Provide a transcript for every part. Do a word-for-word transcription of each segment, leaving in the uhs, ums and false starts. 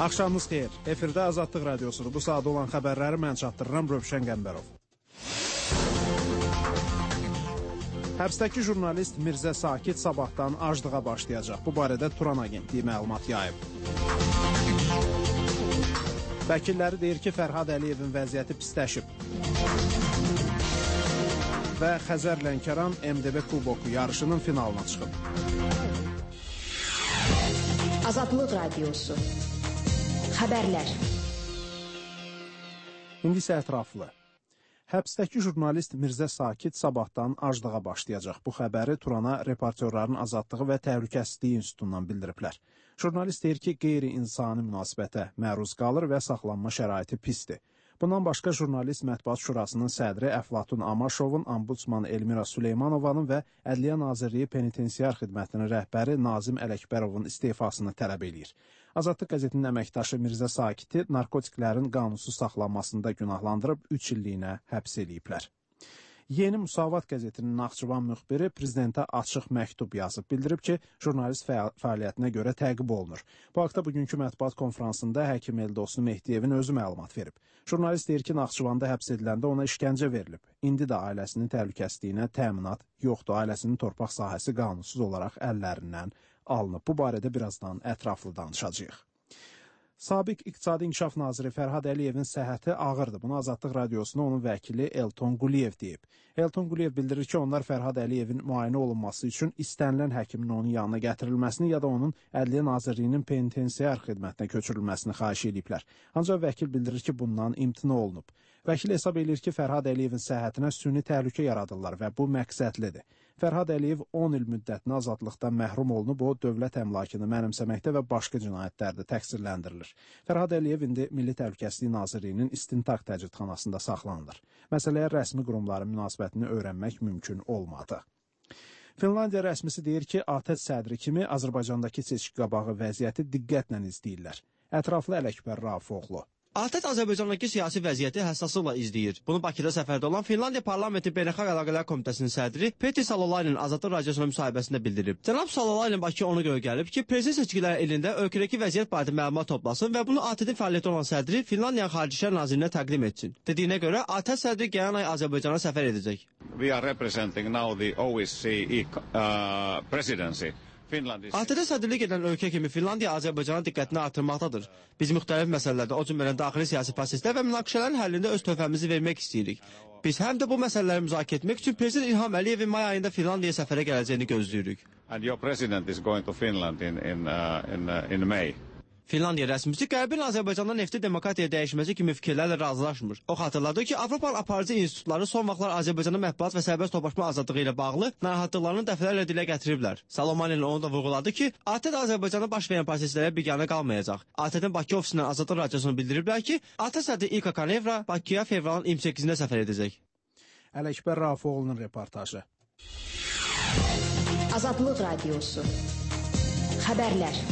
Axşamınız xeyir. Efirdə Azadlıq Radiosudur. Bu saat olan xəbərləri mən çatdırıram, Rövşən Qəmbərov. Həbsdəki jurnalist Mirzə Sakit sabahdan aclığa başlayacaq. Bu barədə Turan Agentliyi məlumat yayıb. Vəkilləri deyir ki, Fərhad Əliyevin vəziyyəti pisləşib. Və Xəzər Lənkəran M D B Kuboku yarışının finalına çıxıb. Azadlıq Radiosu. Xəbərlər. İndi isə ətraflı. Həbsdəki jurnalist Mirzə Sakit sabahdan aclığa başlayacaq. Bu xəbəri Turana Reportyorların Azadlığı və Təhlükəsizliyi İnstitutundan bildiriblər. Jurnalist deyir ki, qeyri-insani münasibətə məruz qalır və saxlanma şəraiti pisdir. Bundan başqa jurnalist Mətbuat Şurasının sədri Əflatun Amaşovun, Ombudsman Elmira Süleymanovanın və Ədliyyə Nazirliyi Penitensiar Xidmətinin rəhbəri Nazim Ələkbərovun istefasını tələb eləyir. Azadlıq qəzetinin əməkdaşı Mirzə Sakiti narkotiklərin qanunsuz saxlanmasında günahlandırıb üç illiyinə həbs eləyiblər. Yeni Müsavat qəzetinin Naxçıvan müxbiri prezidentə açıq məktub yazıb, bildirib ki, jurnalist fəaliyyətinə görə təqib olunur. Bu haqda bugünkü mətbuat konfransında həkim Eldosnu Mehdiyevin özü məlumat verib. Jurnalist deyir ki, Naxçıvanda həbs ediləndə ona işgəncə verilib. İndi də ailəsinin təhlükəsizliyinə təminat yoxdur, ailəsinin torpaq sahəsi qanunsuz olaraq əllərindən alınıb. Bu barədə birazdan ətraflı danışacağıq. Sabiq İqtisadi İnkişaf Naziri Fərhad Əliyevin səhhəti ağırdır. Bunu Azadlıq Radiosuna onun vəkili Elton Quliyev deyib. Elton Quliyev bildirir ki, onlar Fərhad Əliyevin müayinə olunması üçün istənilən həkimin onun yanına gətirilməsini ya da onun Ədliyyə Nazirliyinin penitensiar xidmətinə köçürülməsini xahiş ediblər. Ancaq vəkil bildirir ki, bundan imtina olunub. Vəkil hesab edir ki, Fərhad Əliyevin səhhətinə süni təhlükə yaradırlar və bu məqsədlidir. Fərhad Əliyev on il müddətinə azadlıqdan məhrum olunub, o dövlət əmlakını mənimsəməkdə və başqa cinayətlərdə təqsirləndirilir. Fərhad Əliyev indi Milli Təhlükəsizlik Nazirliyinin istintaq təcridxanasında saxlanılır. Məsələyə rəsmi qurumların münasibətini öyrənmək mümkün olmadı. Finlandiya rəsmisi deyir ki, ATƏT sədri kimi Azərbaycandakı seçki qabağı vəziyyəti diqqətlə izləyirlər. Ətraflı Ələkbər Rafifoğlu. ATƏT Azərbaycandakı siyasi vəziyyəti həssaslıqla izləyir. Bunu Bakıda səfərdə olan Finlandiya Parlamenti Beynəlxalq Əlaqələr Komitəsinin sədri Petri Salolainen Azadlıq Radiosuna müsahibəsində bildirib. Cənab Salolainen Bakıya ona görə gəlib ki, prezident seçkiləri ilində ölkədəki vəziyyət barədə məlumat toplasın və bunu ATƏT-in fəaliyyəti olan sədri Finlandiyanın Xarici İşlər Nazirinə təqdim etsin. Dediyinə görə ATƏT sədri gələn ay Azərbaycana səfər edəcək. We are representing now the O S C E uh, presidency. ATƏT-ə sədrlik edən ölkə kimi Finlandiya Azərbaycana diqqətini artırmaqdadır. Biz müxtəlif məsələlərdə, o cümlədən daxili siyasi proseslər və münaqişələrin həllində öz töhfəmizi vermək istəyirik. Biz həm də bu məsələləri müzakirə etmək üçün Prezident İlham Əliyevin may ayında Finlandiyaya səfərə gələcəyini gözləyirik. And your president is going to Finland in in uh, in, uh, in May. Finlandiya rəsmisi Qərbin Azərbaycanda nefti demokratiyaya dəyişməsi kimi fikirlərlə razılaşmır. O xatırladı ki, Avropa aparıcı institutları son vaxtlar Azərbaycanda mətbuat və sərbəst toplaşma azadlığı ilə bağlı narahatlıqlarını dəfələrlə dilə gətiriblər. Salamanen onu da vurğuladı ki, ATƏT Azərbaycanda baş verən proseslərə biganə qalmayacaq. ATƏT-in Bakı ofisindən Azadlıq Radiosuna bildiriblər ki, ATƏT sədri İlka Kanevra Bakıya fevralın iyirmi səkkizində səfər edəcək. Ələkbər Rafifoğlu'nun reportajı. Azadlıq Radiosu. Xəbərlər.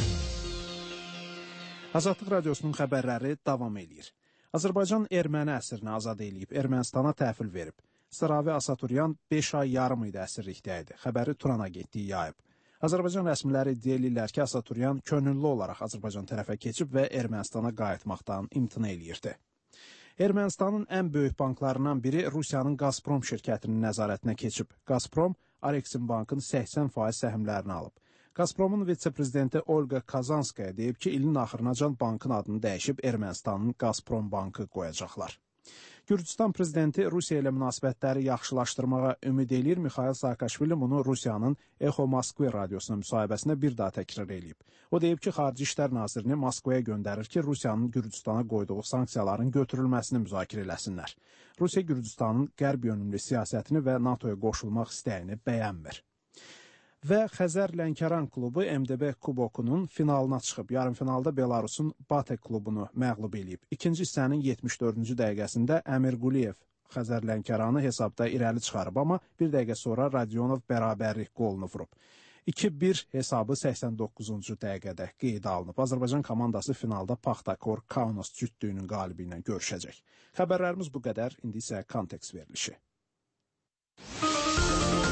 Azadlıq Radiosunun xəbərləri davam eləyir. Azərbaycan erməni əsrini azad eləyib, Ermənistana təhvil verib. Sıravi Asaturyan beş ay yarım idi əsirlikdə idi. Xəbəri Turan Agentliyi yayıb. Azərbaycan rəsmiləri iddia eləyirlər ki, Asaturyan könüllü olaraq Azərbaycan tərəfə keçib və Ermənistana qayıtmaqdan imtina eləyirdi. Ermənistanın ən böyük banklarından biri Rusiyanın Gazprom şirkətinin nəzarətinə keçib. Gazprom, Areksin bankın səksən faiz səhmlərini alıb. Gazpromun vitse-prezidenti Olga Kazanskaya deyib ki, ilin axırınacan bankın adını dəyişib Ermənistanın Gazprom bankı qoyacaqlar. Gürcüstan prezidenti Rusiya ilə münasibətləri yaxşılaşdırmağa ümid eləyir. Mikhail Saakashvili bunu Rusiyanın Echo Moskva radiosuna müsahibəsində bir daha təkrar eləyib. O deyib ki, Xarici İşlər Nazirini Moskvaya göndərir ki, Rusiyanın Gürcüstana qoyduğu sanksiyaların götürülməsini müzakirə eləsinlər. Rusiya Gürcüstanın qərb yönümlü siyasətini və NATOya qoşulmaq istəyini bəyənmir. Və Xəzər Lənkəran klubu M D B Kubokunun finalına çıxıb. Yarım finalda Belarusun Batek klubunu məğlub eləyib. İkinci hissənin yetmiş dördüncü dəqiqəsində Əmir Quliyev Xəzər Lənkəranı hesabda irəli çıxarıb, amma bir dəqiqə sonra Radionov bərabərlik qolunu vurub. iki bir hesabı səksən doqquzuncu dəqiqədə qeydə alınıb. Azərbaycan komandası finalda Paxtakor Kaunas cütlüyünün qalibi ilə görüşəcək. Xəbərlərimiz bu qədər, indi isə kontekst verilişi.